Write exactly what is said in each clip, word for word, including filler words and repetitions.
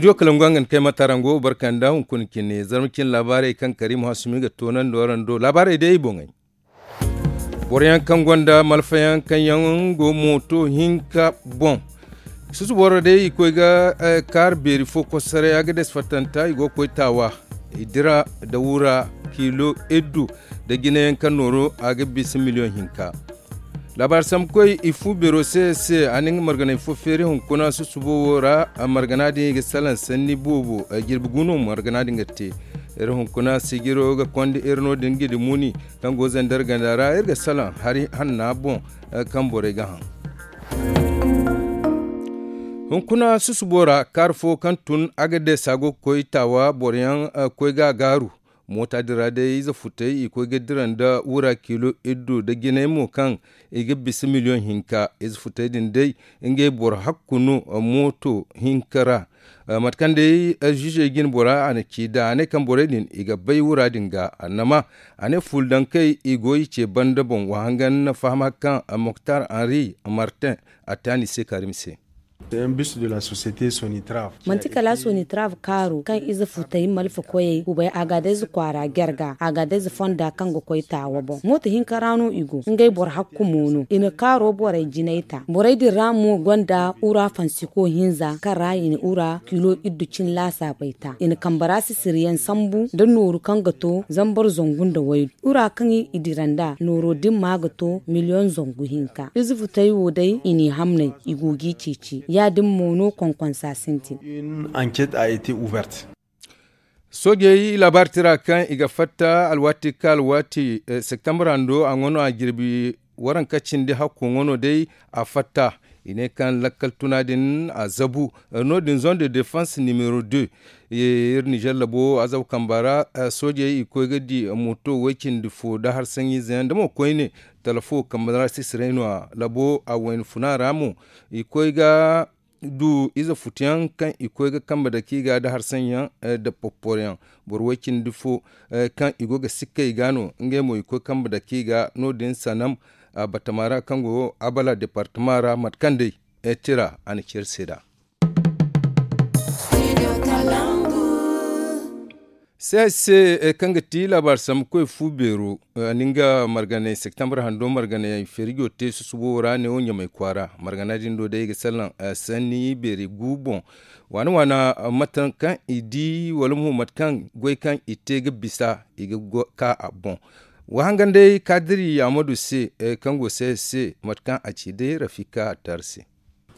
Diyo kalangu a nga ni kay matarango barka nda hunkuna cine zarma cine laabaarey kaŋ karimu hasumi ga toonandi warando laabaarey day ay boŋey. Boro yaŋ kaŋ gonda malfa yaŋ kaŋ yaŋ go mooto hinka boŋ. Susu boro day i koy ga kaari beeri fo kosoray a ga des fattanta i go ga koy taawa. I dira nda wura kiilo iddu nda jinayaŋ kaŋ nooro a ga bisa miliyoŋ hinka. Laabaari sambu koy i fu beero se se a na nga marganay fo feeri hunkuna susubo wo ra. Margana din i ga salaŋ sanni boobo jirbi gu no margana din ga te. Iri hunkuna sijiro ga konda iri no din ga di muni kaŋ go zandar ganda ra iri ga salaŋ hari hanna boŋ kaŋ borey ga haŋ. Hunkuna susubo ra kaari fo kaŋ tun a ga deesa go ga koy taawa boro yaŋ koy ga a gaaru. Moota din ra day ize futey i koy ga dira nda wura kiilo iddu nda jinay mo kaŋ i ga bisa miliyoŋ hinka ize futey din day. Ngey boro hakku no mooto hinka ra. Mate kaŋ day ziizey jine bora a na ci da a ne kaŋ borey din i ga bay wura din ga annama a ne fuula dankey i go i ce banda boŋ wa hangan na fahama kaŋ moktar henri martin a te a ni se karim se. Manti kala sonitrav kaaro kaŋ ize futay malfa koyey kubay agadez kwaara jarga agadez fonda kaŋ ga koy taawa boŋ mooto hinka ra no i go ngey boro hakku mo no i na kaaro borey jinay ta borey din ra mo gonda ura fansiko hinza kaŋ ra i na ura kilo iddu cin laasaabey ta i na kambe ra sisiriyaŋ sambu nda nooru kaŋ ga to zambar zangu nda waydu ura kaŋ i dira nd'a nooro din ma ga to miliyoŋ zangu hinka ize futay wo day i n'i hamnay i go g'i ceeci ya- din mo no konkonsa sintin. Soojey laabaari tira kaŋ i ga fatta alwaati ka alwaati septembre hando a ŋwa no a jirbi waranka cindi hakko ŋwa no day a fatta. I ne kaŋ lakkal tuna din a zabu no- din zone de defense nimero deux. Iri nizer labo a zabu kamba ra soojey i koy ga di mooto way cindi fo nda harsaɲiize yaŋ nda mo koyne talafo kambe ra sisiray no- ya labo a wayna funa ra mo i koy ga du ize futuyaŋ kaŋ i koy ga kambe dake i ga nda harsaɲyaŋ nda popporoyaŋ boro way cindi fo kaŋ i go ga sikka i ga no ngey mo i koy kambe dake i ga no- din sanam batama ra kaŋ go abala departama ra mate kaŋ day tira a na ceeri se nd'a. Sehaj se kaŋ ga ti laabaari sambu koy fu beero a na nga marganay septembre hando marganay feerijo te susubo ra neewo ɲamay kwaara margana din do day i ga salaŋ sanni beeri gu boŋ waana waana mate kaŋ i di wala mo mate kaŋ goy kaŋ i te ga bisa i ga ka a boŋ. Wa hangan day kaadiri amadu se kaŋ go sehaj se mate kaŋ a ci day rafika attar se.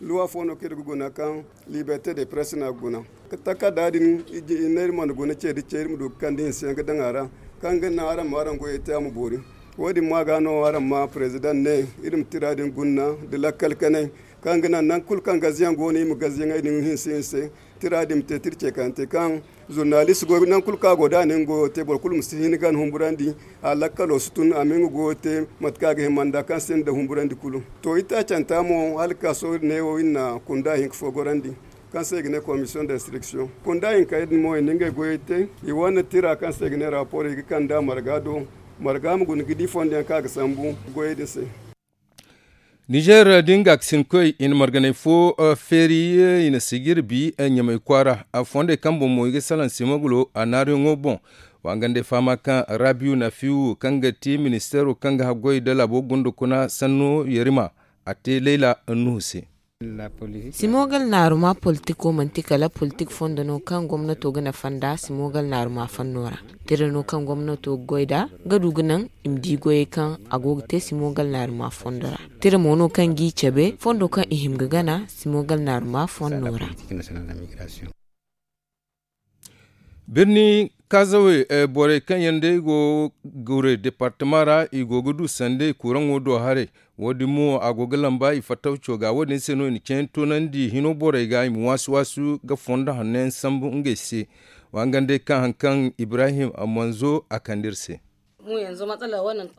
Luwa fo no kaŋ iri ga guna kaŋ liberte de presse no a ga guna. Takarda din i ne iri mana guna ce da ce iri ma du ga kande hinse yaŋ ga daŋ a ra kaŋ ga naŋ araŋ ma araŋ goyey te a ma boori. Wo- din ma ga no araŋ ma president ne iri ma tira din gunna da lakkal kanay kaŋ ga naŋ nangu kulu kaŋ gaziyaŋ go no i ma gaziyaŋey din hinse hinse tira din ma te tira ce kaŋ te kaŋ zurnalist goy nangu kulu kaŋ a go da a na nga goyo te boro kulu ma si hin ga a humburandi. A lakkalo si tun a ma nga goyo te mate kaŋ a ga hima nda kaŋ se nda humburandi kulu. To itaacanta mo hala ga ka sohõ neewo iri na kunda hinka fo gorandi kaŋ se i ga ne commission d'instruction kunda hinka din mo i na ngey goyey te. I wane tira kaŋ se i ga ne rapport i ga kand'a marga do marga ma guna ga di fondo yaŋ kaŋ a ga sambu goyey din se. Nizer da nga ga sinkoy i na marganay fo feeri i na sijir bi ɲamay kwaara. Fondey kaŋ boŋ mo i ga salaŋ simogolo a naaruyaŋo boŋ. Wa nga nd'ay fahama kaŋ rabiyu nafiyu kaŋ ga ti ministeero kaŋ ga haggoy nda laabo gunda kuna sanno yarima a te layla nuhu se. Simogal naaruma politiko manti kala politik fondo no kaŋ gomnato ga nafa nda simogal naaruma fanno ra. Tira no kaŋ gomnato ga goy da ga du ga naŋ i ma di goyey kaŋ a go ga te simogal naaruma fondo ra. Tira mo no kaŋ g'i cabe fondo kaŋ i hima ga gana simogal naaruma fondo ra. Birni kaazawe borey kaŋ yaŋ day go gure departama ra i go ga du sandey kuraŋo do haray. Wo- din mo a go ga lamba i fattawco ga wo- din se no i na ceeyaŋ toonandi hino borey ga i ma waasu waasu ga fondo hanno yaŋ sambu ngey se. Wa nga day kaŋ hari kaŋ ibrahim manzo a kande iri se.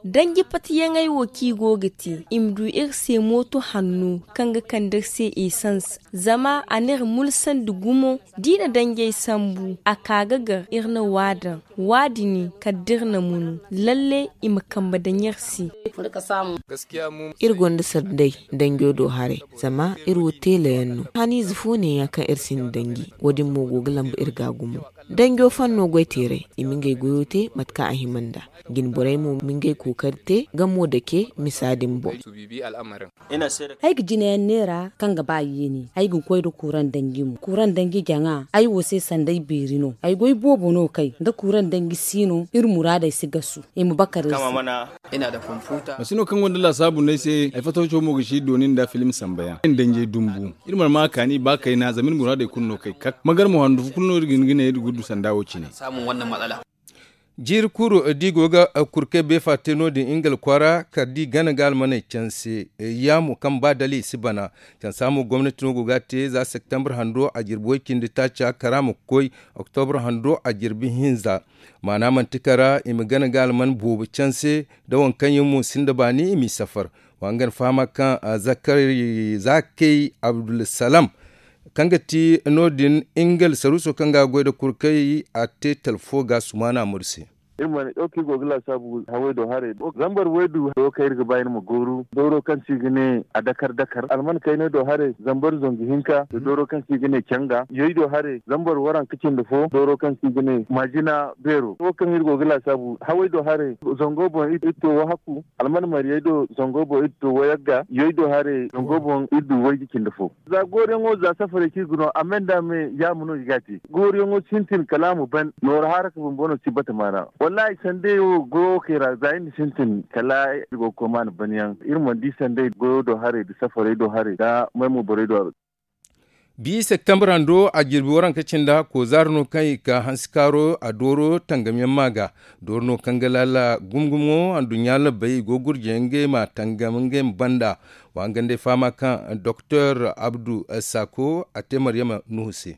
Danji patiyaŋey wo kaŋ i go ga te i ma du iri se mooto hanno kaŋ ga kande iri se esans. Zama a n'iri mulsandi gumo. Da i na danjey sambu a ka ga gar iri na waadaŋ. Waadini kala da iri na munu lalle i ma kambe daŋ iri se. Iri gonda sanday danjo do haray. Zama iri wo teelayaŋ no haniize fo neeya kaŋ iri sinda danji. Wo- din mo go ga lambu iri ga gumo. Danjo fanno goy teeray i ma ngey goyo te mate kaŋ a hima nda jinborey mo ma ngey kookari te gamo dake misa din boŋ. Ay ga jinayaŋ neera kaŋ ga ba yeeni ay ga koy nda kuuraŋ danji mo kuuraŋ danji jaŋa. Ay wo se sanda ay beeri no ay goy boobo no kay nda kuuraŋ danji si no iri muraadey si gasu. I ma bakar iri se. Masino kaŋ gonda laasaabu no ay se ay fatawco mo ga si dooni nda filim sambayaŋ iri danjey dumbu. Iri mana ma a kaani ba kayna zama iri muraadey kulu no kay kak magar mo handu fo kulu no iri ga hin ga ne iri ga du sanda wo cine. Jiiri kuru da i go ga kurkey beefa te no- din ingal kwaara kala da i gana ga almaney canse. Yaamo kaŋ ba dala i si bana cansa mo gomnati no go ga a te za septembre hando a jirbi way-cindi taaca kara ma koy oktobre hando a jirbi hinza. Maana manti kara i ma gana ga alman boobo canse da waŋ kaŋ yaŋ mo sinda baani i m'i safar. Wa nga na fahama kaŋ zakari zakey abdulsalam kaŋ ga ti no- din ingal saruuso kaŋ ga goy nda kurkey a te talfo ga sumaana murse. Iri mana ɗaukay go ga laasaabu haway do haray zambar waydu do kaŋ iri ga ba iri ma gooru dooro kaŋ se i ga ne a dakar dakar alman kaynay do haray zambar zangu hinka da dooro kaŋ se i ga ne canga yoy do haray zambar waranka cindi fo dooro kaŋ se i ga ne maajina beero wo kaŋ iri go ga laasaabu haway do haray zango boŋ iri to wahakku alman mariyey do zango boŋ iri to wayagga yoy do haray zango boŋ iri du wayji cindi fo. Za gooriyaŋo za safarey kaŋ i ga no a me nda a me yaama no i ga a te. Gooriyaŋo sintin kala a ma ban nooro haaraka bumbo no si bata maana. Wallaahi sanday wo goyo kay ra za iri na sintin kala iri go ga koy maana ban yaŋ iri mana di sanday goyo do haray nda safarey do haray nda maymo borey do haray. Bi septembre hando a jirbi waranka cinda kozaara no kaŋ i ka hansi kaaro a dooro tangam yaŋ ma ga dooro no kaŋ ga laala gumo gumo anduɲɲa labbey i go ga gurjay ngey ma tangam ngey ma banda. Wa nga nd'ay fahama kaŋ doktor abdu sako a te maryama nuhu se.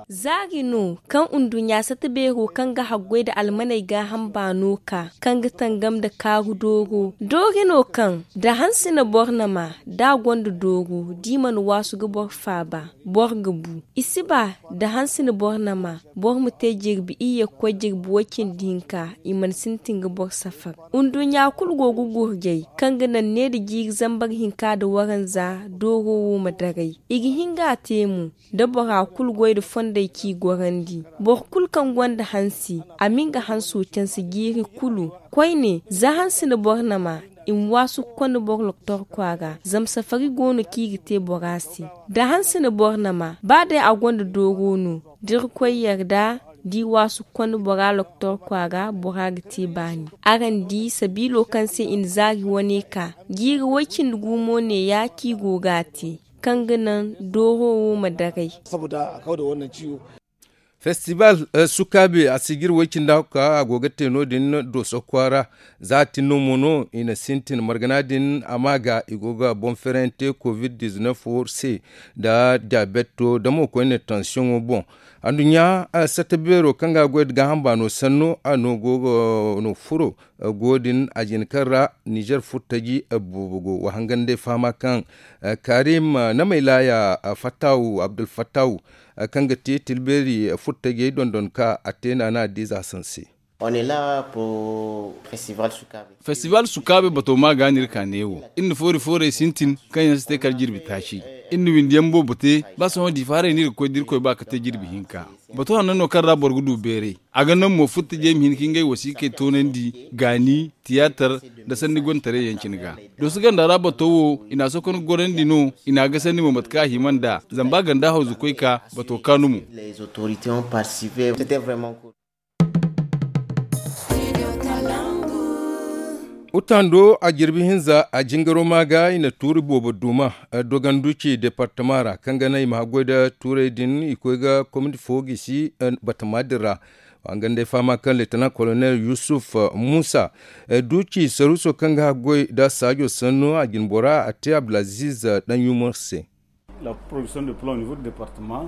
Zaari no kaŋ nduɲɲa sata beero kaŋ ga haggoy nda almaney gaaham baano ka kaŋ ga tangam nda kaaru dooro doori no kaŋ da hanse na boro nama da a gonda dooro da i mana waasu ga boro faaba. Boro ga bu i si ba da hanse na boro nama boro ma te jirbi iyye ga koy jirbi way-cindi hinka. I mana sintin ga boro safar nduɲɲa kulu go ga gurjay kaŋ ga naŋ ne nda jiiri zambar hinka nda waranza dooro wo ma daray. I ga hin ga a te mo da bora kulu goy nda fondey kaŋ i gorandi. Boro kulu kaŋ gonda hansi a ma nga hanso canse jiiri kulu. Koyne za hanse na boro nama i ma waasu ga konda boro loktor kwaara zama safari go no kaŋ i ga te bora se. Da hanse na boro nama ba day a gonda dooro no da irkoy yarda da i waasu ga konda bora loktor kwaara bora ga te baani. Araŋ di sabiilo kaŋ se i na zaari wane ka jiiri way-cindi gumo neeya kaŋ i go ga a te kaŋ ga naŋ dooro wo ma daray. Festival sukaabe a si jiri way-cindi a go ga te no- din dooso kwaara. Za a tin no mo no i na sintin margana din a ma ga i go ga boŋ ferante covid dizineef se nda diyabeto da mo koyne tansiyoŋo boŋ. Anduɲɲa sata beero kaŋ ga goy nda gaaham baano sanno a no go ga no furo go din a jina kaŋ ra nizer furtaji boobo go wa hangan day fahama kaŋ karim namaylaaya fattawu abdulfattawu kaŋ ga te tilbeeri furtajey dondon ka a te naana diiza sanse. Festival sukaabe bato ma ga no iri ka neewo iri na foori foorey sintin kaŋ yaŋ si te kala jirbi taaci. Iri na windiyaŋ boobo te ba sohõ diifa haray no iri ga koy da irkoy ba ka te jirbi hinka. Bato hanno no kaŋ ra boro ga du beeray a ga naŋ mo furtajey ma hin ka ngey wasiikey toonandi gaani tiyaatar nda sanni gontaray yaŋ cine ga. Dooso ganda ra bato wo i n'a sokon ga gorandi no i n'a gasandi mo mate kaŋ a hima nd'a zama ba ganda hawzu koy ka bato kaanu mo. Utando a jirbi hinza a jingaro ma ga i na tuuri boobo duma doganduci departama ra kaŋ ga naŋ i ma haggoy nda tuurey din i koy ga komiti fo gisi batama din ra. Wa nga nda ay fahama kaŋ leetanan kolonel yusuf muusa duci saruuso kaŋ ga haggoy nda saajo sanno a jinbora a te abdulaziz daŋ yumar se.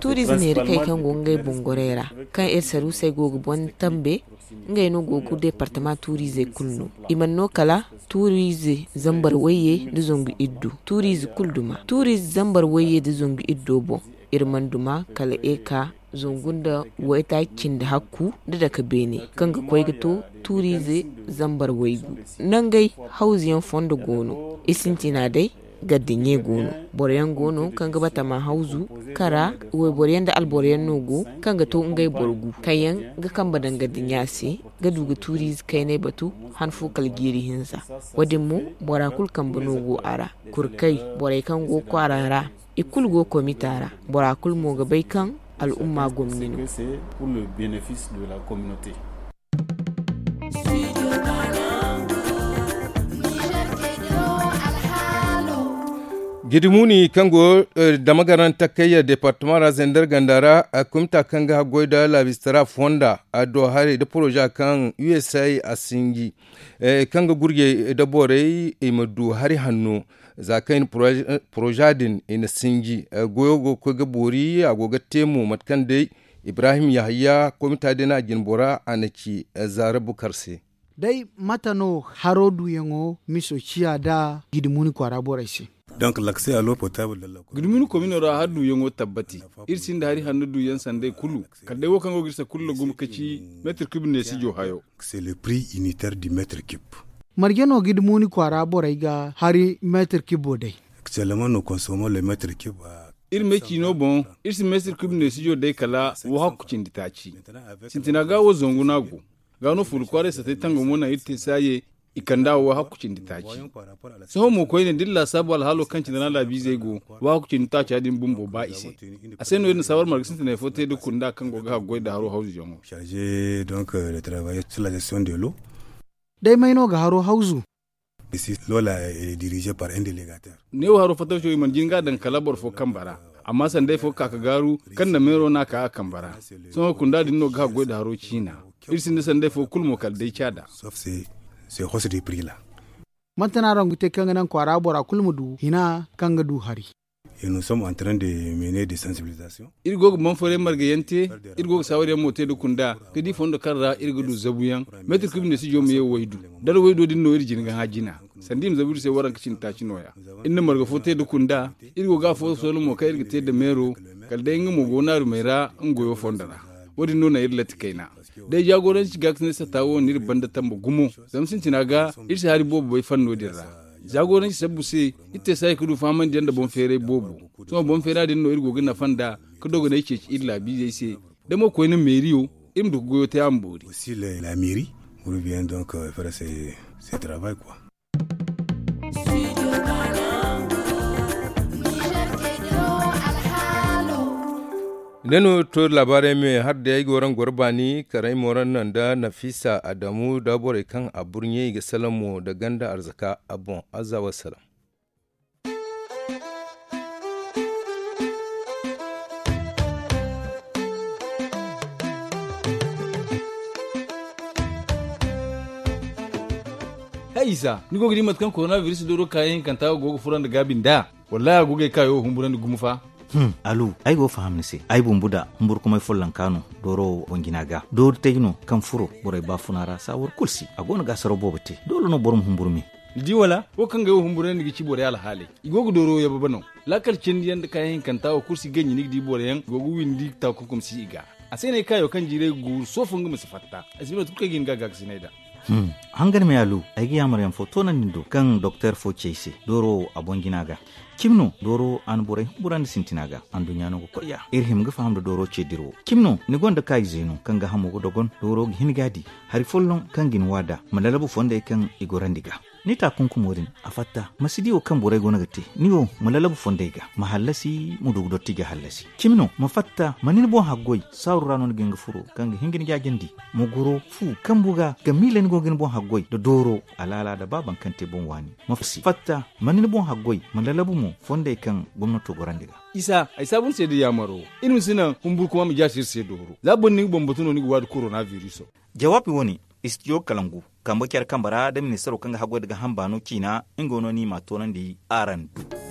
Tuuriize neera kay kaŋ go ngey bungurey ra kaŋ iri saruusey go ga boŋ tambe Ngey no go ga deepartama tuuriizey kulu no. I mana no kala tuuriize zambar wayye nda zangu iddu tuuriize kulu duma tuuriize zambar wayye nda zangu iddo boŋ. Iri mana duma kala eka zangu nda waytaaci cindi hakku nda dake beene kaŋ ga koy ga to tuuriize zambar waygu. Nangey hawzuyaŋ fondo go no. I sintina day gardiɲe go no. Boro yaŋ go no kaŋ ga batama hawzu kara wayboro yaŋ nda alboro yaŋ no go kaŋ ga to ngey boro gu kaŋ yaŋ ga kambe daŋ gardiɲa se ga du ga tuuriize kaynay batu han fo kala jiiri hinza. Wo- din mo bora kulu kambe no go a ra. Kurkey borey kaŋ go kwaara ra i kulu go komita ra. Bora kulu mo ga bay kaŋ al'umma gomni no. Gidimuni kaŋ go dama garanta kayya departama ra zender ganda ra, kumta kaŋ ga haggoy da laabistara fonda, adduwa haray da poroza kaŋ usa a sinji kaŋ ga gurjey da borey i ma du hari hanno. Za kaŋ i na poroza din i na sinji, goyo go ga koy ga boori a go ga te mo mate kaŋ day ibrahim yahaya komita din a jinbora a na ci zaara bukar se. Day mate no haro duuyaŋo miso ciya nda gidimuni kwaara borey se? Gidimuni komino ra har duuyaŋo tabbati. Iri sinda hari hanno duuyaŋ sanday kulu kala day wo kaŋ go ga iri sakulla gumo ka ci meetir kub neesijo hayo. Marje no gidimuni kwaara borey ga hari meetir kibo day? Iri me ciino boŋ iri si meetir kub neesijo day kala wo hakku cindi taaci. Sintina ga wo zangu no a go. Ga no fuula kwaaray satay tangamo naŋ iri te saaye i kand'a wo hakku cindi taaci. Sohõ mo koyne da iri laasaabu alhaalo kaŋ cine ra laabiizey go, wo hakku cindi taaca din bumbo ba i se. A se no iri na saawar marga sintinay fo te nda kunda kaŋ go ga haggoy nda haro hawzuyaŋo. Day may no ga haro hawzu? Neewo haro fattaco i mana jin ga a daŋ kala boro fo kambe ra. Amma sanday fo ga ka ga gaaru kaŋ na meero no a ka a kambe ra. Sohõ kunda din no ga haggoy nda haro ciina. Iri sinda sanday fo kulu mo kala day caada. Manti no araŋ ga te kaŋ ga naŋ kwaara bora kulu ma du hina kaŋ ga du hari? Iri go ga boŋ fooyaŋ marga yaŋ te. Iri go ga saawar yaŋ mo te nda kunda ga di fondo kaŋ ra iri ga du zabu yaŋ. Meetir kub neesijo ma ye waydu. Dara waydo din no iri jina ga hã jina. Sanda i ma zabu iri se waranka cindi taaci nooya. Iri na marga fo te nda kunda. Iri go ga afo soola mo kaŋ iri ga te nda meero. Kala day nga mo go naarumey ra nga goyo fondo ra. Wo- din no naŋ iri latti kayna. Day jaagoranci ga ga ti ne sata wo no iri banda tamba gumo. Zama sintina ga iri si hari boobo bay fanno din ra. Jaagoranci sabbu se iri te saayi ga du fahamandi yaŋ nda boŋ feeray boobo. Sohõ boŋ feera din no iri go ga nafa nd'a ga dogonay ceeci iri laabiizey se. Da mo koyne meeriyo iri ma du ga goyo te a ma boori. Ne no to laabaarey me har day ay ga waraŋ goro baani kar ay ma waraŋ naŋ nda nafisa adamu nda borey kaŋ a burɲey i ga salamo nda ganda arzaka a boŋ azza wassalam. Hay isa ni go ga di mate kaŋ korona biris dooro kaayaŋ hinkanta go ga fura nda gaabi nd'a? Wallahi a go ga ay kaayo humburandi gumo fa. Alu ay go ga faham ni se ay bumbu da humburkumay follonka no. Dooro wo boŋ jina ga doori tay no kaŋ furo borey baafuna ra saawar kulu si a go no ga asaraw boobo te doole no boro ma humburu me. Ni di wala wo kaŋ ga ay wo humburandi ga ci borey alhaaley i go ga dooro yababe no. Laakal cindi yaŋ nda kaayaŋ hinkanta wo kulu si ganji ni ga di boro yaŋ i go ga windi taakunkum si i ga. A se no ay kaayo kaŋ jiiray ga guuru soofo nga ma si fatta. Ay si ba no tun kaŋ ay ga hin ga gaakasinay nd'a. Hangan me alu ay ga yaamar yaŋ fo toonandi ni do kaŋ doktor fo ci ay se dooro wo a boŋ jina ga. Cimi no dooro wo a na borey humburandi sintina ga anduɲɲa no ga koy ya iri hima ga faham nda dooro ce dira wo. Cimi no ni gonda kaayize no kaŋ ga hamo ga dogon dooro ga hin ga a di hari folloŋ kaŋ ga ni waada ma lalabu fondey kaŋ i gorandi ga. Ni taakunkumo din a fatta ma si di wo kaŋ borey go no ga te ni wo ma lalabu fondey ga ma hallasi ma du ga dotti ga hallasi. Cimi no ma fatta ma ni ni boŋ haggoy saaru ra no ni ga hin ga furo kaŋ ga hin ga ni jaajandi ma goro fu kambu ga ga miila ni go ga ni boŋ haggoy nda dooro alaala nda ba baŋ kaŋ te boŋ waani. Ma fatta ma ni ni boŋ haggoy ma lalabu mo fondey kaŋ gomnato gorandi ga. Isa ay saabu ni se da yaamaro iri ma si naŋ humburkuma ma jaasi iri se dooro za boro ni ga bambatu no ni ga waadi korona biriso. Jawaabi wo-ne istijo kalangu kambe care kambe ra da ministaro kaŋ ga haggoy nda ga hamba no ciina nga wo no ni ma a toonandi araŋ du.